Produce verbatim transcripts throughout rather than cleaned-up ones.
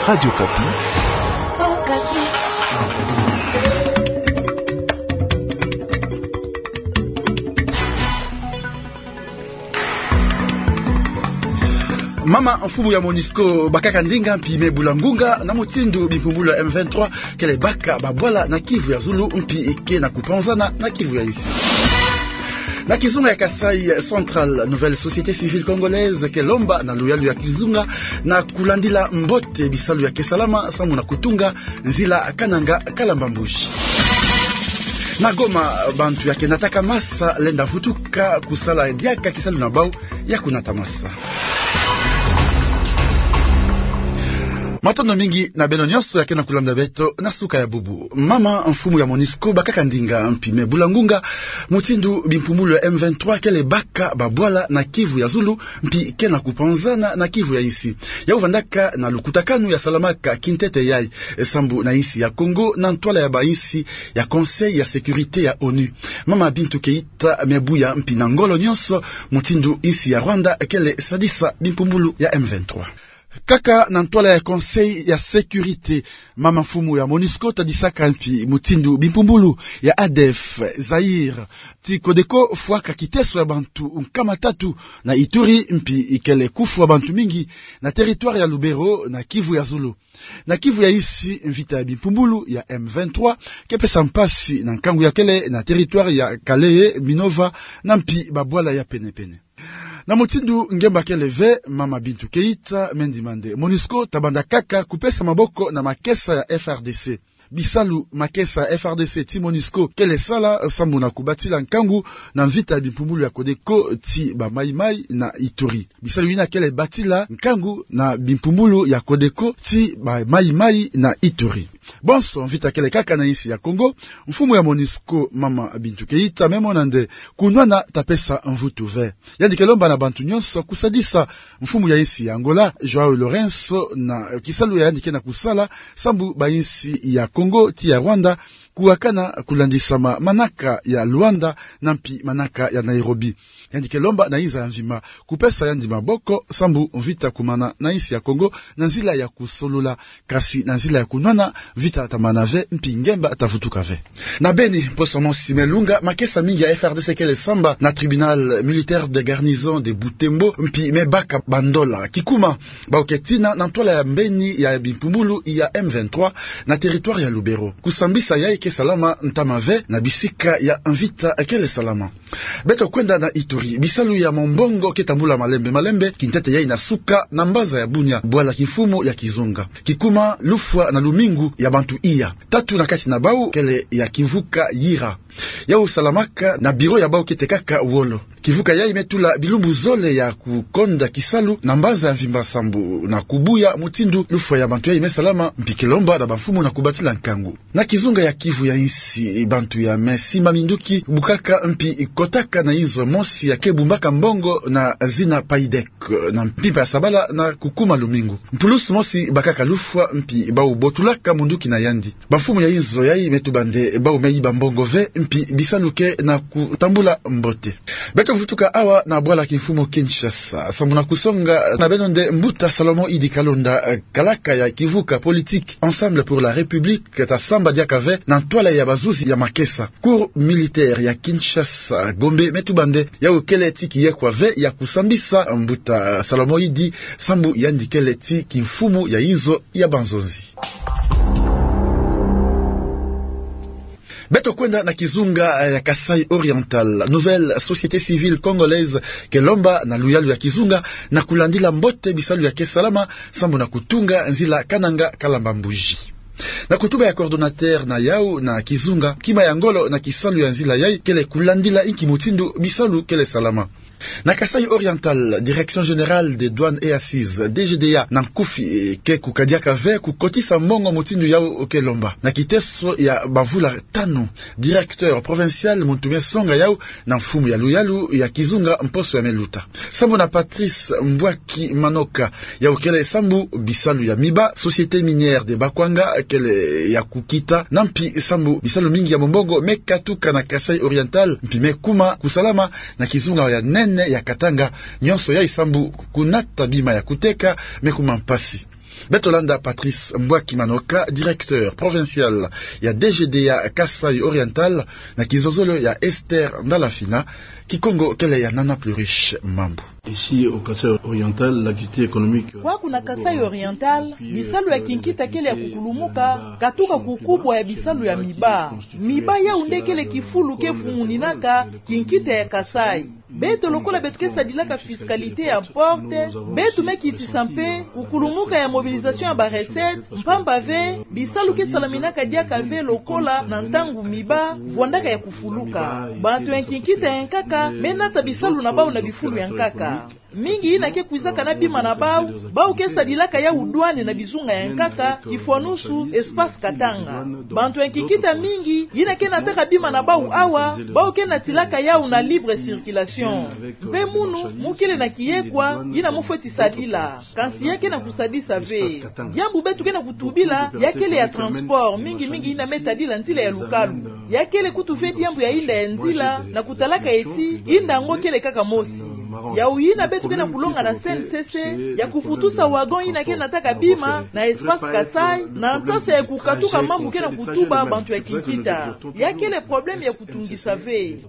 Radio Okapi. Mama mfumu ya MONUSCO bakaka ndinga mpi me bula ngunga na mutindu bimpumbulu ya M vingt-trois kele baka babwala na Kivu ya zulu mpi ke na kupanzana na Kivu ya insi. Na kizunga ya Kasaï Central, Nouvelle Société Civile Congolaise ke lomba na luyalu ya kizunga na kulandila mbote bisalu ya ke salama sambu na kutunga nzila Kananga Kalamba Mbuji. Na Goma, bantu ya ke nataka masa lenda vutuka kusala diaka kisalu na bau ya kunata masa. Matondo mingi na beno nyonso ya ke na kulanda beto na suka ya bubu. Mama mfumu ya MONUSCO bakaka ndinga mpi me bula ngunga mutindu bimpumbulu ya M vingt-trois kele baka babwala na Kivu ya zulu mpi ke na kupanzana na Kivu ya insi. Yau vandaka na lukutakanu ya salamaka kintete yai, e, sambu na insi ya Congo na ntwala ya bainsi ya Conseil ya Sécurité ya ONU. Mama Bintou Keïta me buya mpi na ngolo nyonso mutindu insi ya Rwanda kele sadisa bimpumbulu ya M vingt-trois. Kaka na ntwala ya Conseil ya Sécurité, mama mfumu ya MONUSCO tadisaka mpi mutindu bimpumbulu ya A D F, Zaïre, ti Codeco fwaka kiteso ya bantu nkama tatu na Ituri mpi kele kufwa bantu mingi na territoire ya Lubero na Kivu ya zulu. Na Kivu ya insi, mvita ya bimpumbulu ya M vingt-trois ke pesa mpasi na nkangu ya kele na territoire ya Kalehe, Minova na mpi babwala ya penepene. Na mutindu ngemba kele ve, mama Bintou Keïta me ndima nde MONUSCO tabanda kaka kupesa maboko na makesa ya F R D C. Bisalu makesa ya F R D C ti MONUSCO kele sala sambu na kubatila nkangu na mvita ya bimpumbulu ya Codeco ti ba Maï-Maï na Ituri. Bisalu yina kele batila nkangu na bimpumbulu ya Codeco ti ba Maï-Maï na Ituri. Bonso mvita kele kaka na insi ya Congo, mfumu ya MONUSCO, mama Bintou Keïta me mona nde kunwana ta pesa mvutu ve. Yandi ke lomba na bantu nyonso kusadisa mfumu ya insi ya Angola, João Lourenço, na kisalu ya yandi ke na kusala sambu bainsi ya Congo ti ya Rwanda kuwakana kulandisama manaka ya Luanda na mpi manaka ya Nairobi. Yandi ke lomba na inza ya mvimba kupesa yandi maboko sambu mvita kumana na insi ya Congo na nzila ya kusolola, kasi na nzila ya kunwana, mvita ta mana ve mpi ngemba ta vutuka ve. Na Beni, mposo mosi me lunga, makesa mingi ya F R D C kele samba na tribunal militaire de garnison de Butembo mpi me baka bandola. Kikuma, bau ke tina na ntwala ya mbeni ya bimpumbulu ya M vingt-trois na territoire ya Lubero. Kusambisa yai ke salama ntama ve na bisika ya mvita kele salama. Beto kwenda na Ituri. Bisalu ya mombongo ke tambula malembe malembe, kintete yai na suka na mbanza ya Bunia, bwala kimfumu ya kizunga. Kikuma, lufwa na lumingu ya bantu iya. Tatu na kati na bau kele ya kimvuka Yira. Yau salamaka na biro ya bau ke tekaka wolo. Kimvuka yai me tula bilumbu zole ya kukonda kisalu na mbanza ya mvimba sambu na kubuya mutindu lufwa ya bantu yai me salama, mpi ke lomba na bamfumu na kubatila nkangu. Na kizunga ya Kivu ya insi, bantu ya me simba minduki bukaka mpi kotaka na inzo mosi ya ke bumbaka mbongo na zina Paidec na mpimpa ya sabala na kukuma lumingu. Mpulusu mosi bakaka lufwa mpi bau botulaka munduki na yandi. Bamfumu ya inzo yai me tuba nde bau me yiba mbongo ve mpi bisalu ke na kutambula mbote. Beto vutuka awa na bwala kimfumu Kinshasa sambu na kusonga na beno nde mbuta Salomon Idi Kalonda, eh, kalaka ya kimvuka politique Ensemble pour la République, ta samba diaka ve na ntwala ya bazuzi ya makesa. Cour militaire ya Kinshasa Gombe me tuba nde yau kele ti kiyekwa ve ya kusambisa mbuta Salomon Idi sambu yandi kele ti kimfumu ya inzo ya banzonzi. Beto kwenda na kizunga, eh, ya Kasaï Oriental. Nouvelle Société Civile Congolaise ke lomba na luyalu ya kizunga na kulandila mbote bisalu ya ke salama sambu na kutunga nzila Kananga Kalamba Mbuji. Na kutuba ya coordonnateur na yau na kizunga, kima ya ngolo na kisalu ya nzila yai kele kulandila inki mutindu bisalu kele salama. Na Kasaï Oriental, Direction Générale des Douanes et Accises, D G D A na nkufi, eh, ke kukadiaka ve kukotisa mbongo mutindu yau ke lomba. Na kiteso ya bamvula tanu, directeur provincial muntu me songa yau na mfumu ya luyalu ya kizunga mposo ya me luta. Sambu na Patrice Mbwaki Manoka, yau kele sambu bisalu ya miba, Société Minière de Bakwanga kele ya kukita, na mpi sambu bisalu mingi ya mombongo me katuka na Kasaï Oriental mpi me kuma kusalama na kizunga ya nene ya Katanga, nyonso yai sambu kunata bima ya kuteka me kuma mpasi. Beto landa Patrice Mbwaki Manoka, directeur provincial ya D G D A Kasaï Oriental, na kizozolo ya Esther Ndala Mfina. Kikongo kele ya Nana Pluriche Mambu. Ici, au Kasaï Oriental, l'activité économique, euh, kwaku na Kasaï Oriental, bisalu ya kinkita kele ya kukulumuka, katuka ku kubwa ya bisalu ya miba. Miba yau nde kele kifulu ke vunguninaka kinkita ya Kasaï. Beto lokola beto ke sadilaka fiscalité ya porte, beto me kitisa mpe kukulumuka ya mobilisation ya ba recettes, mpamba ve bisalu ke salaminaka diaka ve lokola na ntangu miba vwandaka ya kufuluka. Bantu ya kinkita ya nkaka me nata bisalu na bau na bifulu ya nkaka. Mingi yina ke kwizaka na bima na bau, bau ke sadilaka yau douane na bizunga ya nkaka, kifwanusu Espace Katanga. Bantu ya kinkita mingi yina ke nataka bima na bau awa, bau ke natilaka yau na libre circulation. Mpe munu mu kele na kiyekwa yina mu fweti sadila. Kansi ya ke na kusadisa ve. Diambu beto ke na kutubila ya kele ya transport, mingi mingi yina me tadila nzila ya lukalu. Ya kele kutu ve diambu ya inda ya nzila, na kutalaka eti inda yango kele kaka mosi. Yau yina beto ke na kulonga na C N C C, ya kufutusa wagon yina ke nataka bima na Espace Kasaï, na nsasa ya kukatuka mambu ke na kutuba bantu ya kinkita. Ya kele problème ya kutungisa ve.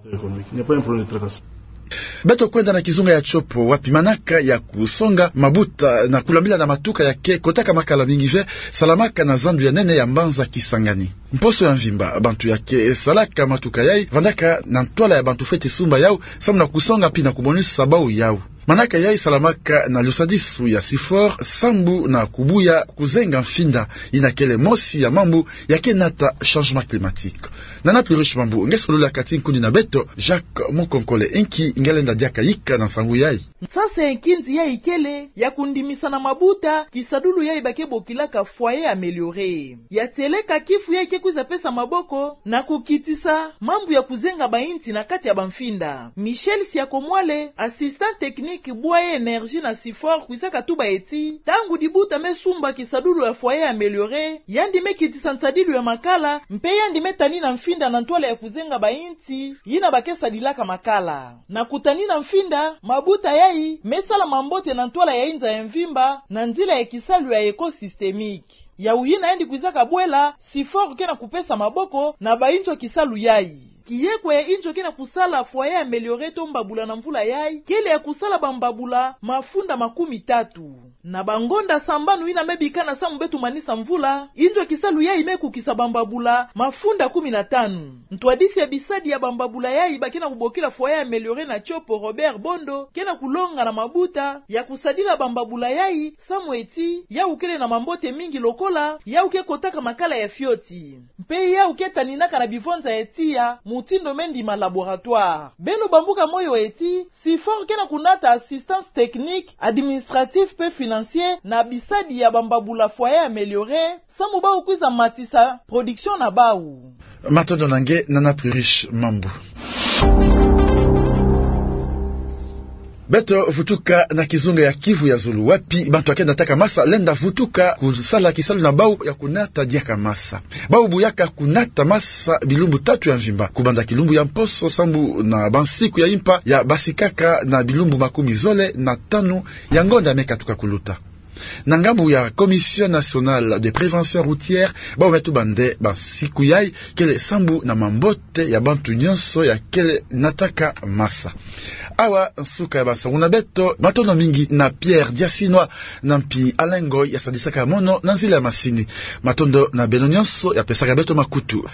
Beto kwenda na kizunga ya Tshopo, wapi manaka ya kusonga mabuta na kulambila na matuka ya ke kotaka makala mingi ve salamaka na zandu ya nene ya mbanza Kisangani. Mposo ya mvimba, bantu ya ke salaka matuka yai vandaka na ntwala ya bantu fweti sumba yau, samu na kusonga mpi na kumonisa bau yau. Manaka yai salamaka na lusadisu ya SIFOR, sambu na kubuya kuzenga mfinda, yina kele mosi ya mambu ya ke nata changement climatique. Nana Pluriche Mambu nge solula kati nkundi na beto, Jacques Mukonkole. Inki nge lenda diaka yika na nsangu yai? Nsasa ya nkinzi yai kele ya kundimisa na mabuta kisadulu yai ba ke bokilaka foyer amélioré. Ya tieleka kifu yai ke kwiza pesa maboko na kukitisa mambu ya kuzenga bainsi na kati ya bamfinda. Michel Siakomwale, assistant technique bwa ya énergie na SIFOR, kwizaka tuba eti ntangu dibuta me sumba kisadulu ya foyer amélioré, yandi me kitisa nsadilu ya makala, mpe yandi me tanina mfinda na ntwala ya kuzenga bainsi yina ba ke sadilaka makala. Na kutanina mfinda, mabuta yai me sala mambote na ntwala ya inza ya mvimba na nzila ya kisalu ya éco-systémique. Yau yina yandi kwizaka bwela, SIFOR ke na kupesa maboko na bainzo ya kisalu yai. Kiyekwa ya inzo ke na kusala foyer amélioré to mbabula na mvula yai kele ya kusala bambabula mafunda makumi tatu. Na bangonda sambanu yina me bikana samu beto manisa mvula, inzo ya kisalu yai me kukisa bambabula mafunda kumi na tanu. Ntwadisi ya bisadi ya bambabula yai ba ke na kubokila foyer amélioré na Tshopo, Robert Bondo, ke na kulonga na mabuta ya kusadila bambabula yai, samu eti yau kele na mambote mingi lokola yau ke kotaka makala ya fioti. Mpe yau ke taninaka na bivonza ya tiya, mutindu me ndima laboratoire. Beno bambuka moyo eti SIFOR ke na kunata assistance technique, administrative mpe financière na bisadi ya bambabula foyer amélioré, samu bau kwiza matisa production na bau. Matondo na nge, Nana Pluriche Mambu. Beto vutuka na kizunga ya Kivu ya zulu, wapi bantu ya ke nataka masa lenda vutuka kusala kisalu na bau ya kunata diaka masa. Bau buyaka kunata masa bilumbu tatu ya mvimba, kubanda kilumbu ya mposo sambu na bansiku ya impa ya basikaka na bilumbu makumi zole na tanu ya ngonda me katuka kuluta. Na ngambu ya Commission Nationale de Prévention Routière, bau me tuba nde bansiku yai kele sambu na mambote ya bantu nyonso ya kele nataka masa. Awa nsuka ya bansangu na beto. Matondo mingi na Pierre Diasinwa, na mpi Alain Ngoy ya sadisaka mono na nzila ya masini. Matondo na beno nyonso ya pesaka beto makutu.